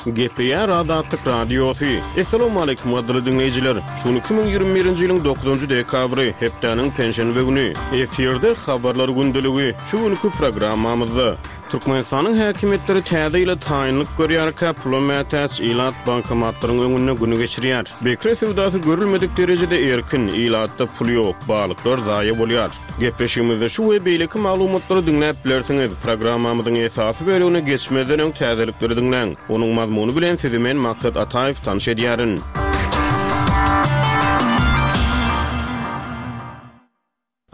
Gepleýär Azatlyk Radiosy. Essalawmaleýkim gadyrly diňleýjiler! Şu gün 2021-nji ýylyň dokuzynjy dekabry, hepdäniň penşenbe güni. Efirde Habarlar gündeligi. Şu günki programmamyzda. Türkmenistanyň häkimiýetleri täze ýyla taýynlyk görýärkä, pula mätäç ilat bankomatlaryň öňünde güni geçirýär. Bekre söwdasy görülmedik derejede erkin, ilatda pul ýok, balyklar zaýa bolýar. Gepleşigimizde şu we beýleki maglumatlary diňläp bilersiňiz. Programmamyzyň esasy bölegine geçmezden öň täzelikleri diňläň. Onuň mazmuny bilen sizi men Maksat Ataýew tanyş edýärin.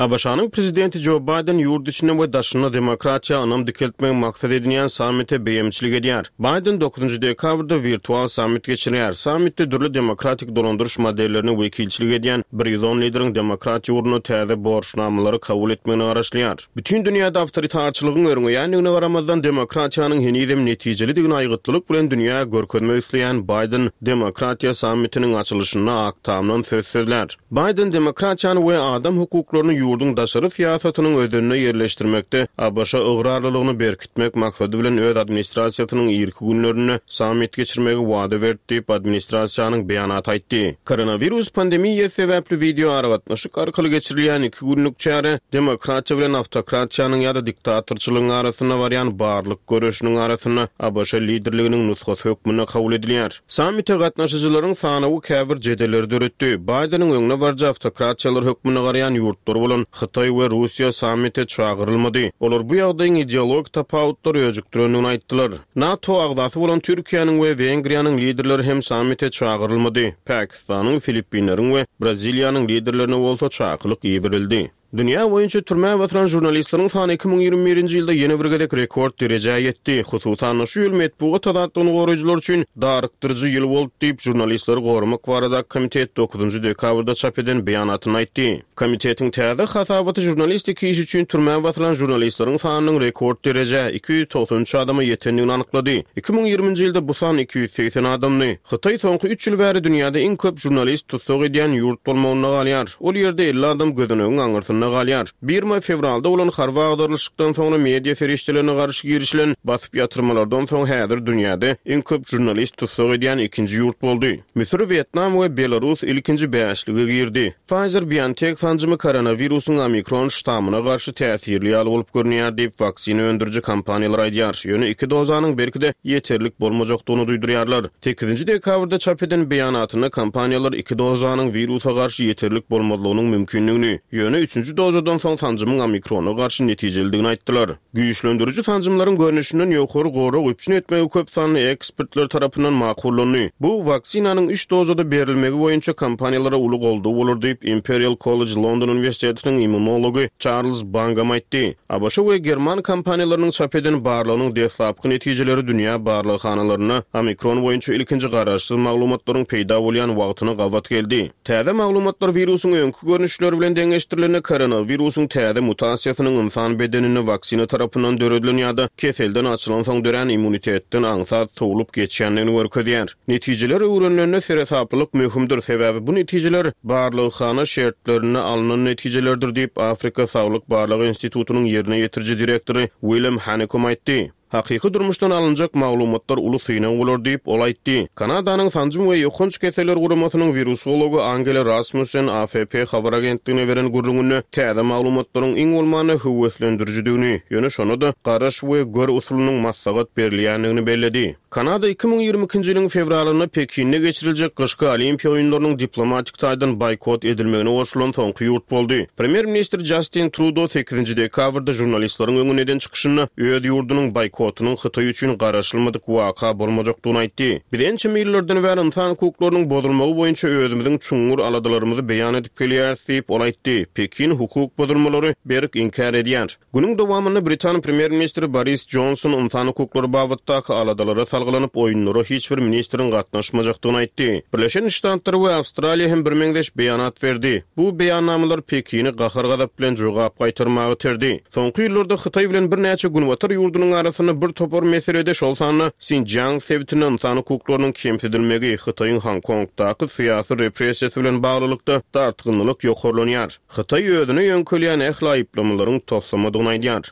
ABŞ-nyň Prezidenti Jo Baýden ýurt içinde we daşynda demokratiýa ynam dikeltmegi maksat edinýän sammite beýemçilik edýär. Baýden dokuzynjy dekabrda wirtual sammit geçirýär. Sammitde dürli demokratik dolandyryş modellerine wekilçilik edýän 110 lideriň demokratiýa ugrunda täze borçnamalary kabul etmegine garaşylýar. Bütin dünýäde awtoritarçylygyň örňeýändigine garamazdan, demokratiýanyň henizem netijelidigini aýgytlylyk bilen dünýä görkezmek isleýän Baýden demokratiýa sammitiniň açylyşynda Ak Tamdan söz sözlär. Baýden demokratiýany we adam hukuklaryny ýurduň daşary syýasatynyň özenine ýerleşdirmekde ABŞ-a ygrarlylygyny berkitmek maksady bilen öz administrasiýasynyň irki günlerinde sammit geçirmegi wada berdi diýip, administrasiýanyň beýanaty aýtdy. Koronawirus pandemiýasy sebäpli wideoaragatnaşyk arkaly geçirilýän iki günlük çäre demokratiýa bilen awtokratiýanyň ýa-da diktatorçylygyň arasynda barýan barlyk göreşiniň arasynda ABŞ liderliginiň nusgasy hökmünde kabul edilýär. Sammite gatnaşyjylaryň sanawy käbir jedelleri döretdi. Baýdeniň öňdebaryjy awtokratiýalar hökmünde garaýan ýurtlary bolan Hytaý we Russiýa sammite çagyrylmady. Olar bu ýagdaýyň ideologik tapawutlary öjükdirendigini aýtdylar. NATO agzasy bolan Türkiýäniň we Wengriýanyň liderleri hem sammite çagyrylmady. Pakistanyň, Filippinleriň we Braziliýanyň liderlerine bolsa çakylyk iberildi. Dünýä boýunça türmä basylan žurnalistleriň sany 2021-nji ýylda ýene bir gezek rekord derejä ýetdi. Hususan-da, şu ýyl metbugat azatlygyny goraýjylar üçin darykdyryjy ýyl boldy diýip, Žurnalistleri goramak baradaky komitet dokuzynjy dekabrda çap eden beýanatynda aýtdy. Komitetiň täze hasabaty žurnalistiki iş üçin türmä basylan žurnalistleriň sanynyň rekord derejä, 293 adama ýetendigini anyklady. 2020-nji ýylda bu san 280 adamdy. Hytaý soňky üç ýyl bäri dünýäde iň köp žurnalist tussag edýän ýurt bolmagynda galýar. Ol ýerde 50 adam gözenegiň aňyrsynda galýar. Birma fewralda bolan harby agdarylyşykdan soňra media serişdelerine garşy girişilen basyp ýatyrmalardan soň häzir dünýäde iň köp žurnalist tussag edýän ikinji ýurt boldy. Müsür, Wýetnam we Belarus ilkinji bäşlige girdi. Pfizer-BioNTech sanjymy koronawirusyň omikron ştamyna garşy täsirli ýaly bolup görünýär diýip, waksina öndüriji kompaniýalar aýdýar. Ýöne iki dozanyň belki-de ýeterlik bolmajakdygyny duýdurýarlar. Sekizinji dekabrda çap eden beýanatynda kompaniýalar iki dozanyň wirusa garşy ýeterlik bolmazlygynyň mümkindigini, ýöne üçünji dozadan soň sanjymyň omikrona garşy netijelidigini aýtdylar. Güýçlendiriji sanjymlaryň görnüşinden ýokary gorag üpjün etmegi köp sanly ekspertler tarapyndan makullandy. Bu, waksinanyň üç dozada berilmegi boýunça kompaniýalara uly goldaw bolar diýip, Imperial College London uniwersitetiniň immunology Çarlz Bangam aýtdy. ABŞ we german kompaniýalarynyň çap eden barlagynyň deslapky netijeleri dünýä barlaghanalarynda omikron boýunça ilkinji garaşsyz maglumatlaryň peýda bolýan wagtyna gabat geldi. Täze maglumatlar wirusyň öňki görnüşleri bilen deňeşdirilende koronawirusyň täze mutasiýasynyň ynsan bedeninde waksina tarapyndan döredilen ýa-da keselden açylansoň dörän immunitetden aňsat sowlup geçýändigini görkezýär. Netijeler öwrenilende seresaplylyk möhümdir, sebäbi bu netijeler barlaghana şertlerinde alnan netijelerdir diýip, Afrika saglyk barlagy institutynyň ýerine ýetiriji direktory Willem Hanekom aýtdy. Hakyky durmuşdan alynjak maglumatlar uly synag bolar diýip, ol aýtdy. Kanadanyň Sanjym we ýokanç keseller guramasynyň wirusology Angela Rasmussen AFP habar agentligine beren gürrüňinde täze maglumatlaryň iň bolmanda höweslendirijidigini, ýöne şonda-da garaş we gör usulynyň maslahat berilýändigini belledi. Kanada 2022-nji ýylyň fewralynda Pekinde geçiriljek gyşky Olimpiýa oýunlarynyň diplomatik taýdan boýkot edilmegine goşulan soňky ýurt boldy. Premýer-ministr Jastin Trudo sekizinji dekabrda žurnalistleriň öňünde eden çykyşynda öz ýurdunyň boýkotynyň Hytaý üçin garaşylmadyk waka bolmajakdygyny aýtdy. Biz ençeme ýyllardan bäri ynsan hukuklarynyň bozulmagy boýunça özümiziň çuňňur aladalarymyzy beýan edip gelýäris diýip, ol aýtdy. Pekin hukuk bozulmalary berk inkär edýär. Günüň dowamynda britan premýer-ministri Boris Jonson ynsan hukuklary babatdaky aladalara salgylanyp, oýunlara hiç bir ministriň gatnaşmajakdygyny aýtdy. Birleşen Ştatlar we Awstraliýa hem birmeňzeş beýanat berdi. Bu beýannamalar Pekini gahar-gazap bilen jogap gaýtarmaga iterdi. Soňky ýyllarda Hytaý bilen birnäçe günbatar ýurdunyň arasynda bir topar meselede, şol sanda Sinjiang sebitinde ynsan hukuklarynyň kemsidilmegi, Hytaýyň Honkongdaky syýasy repressiýasy bilen baglylykda dartgynlylyk ýokarlanýar. Hytaý özüne ýöňkelýän ähli aýyplamalaryň toslamadygyny aýdýar.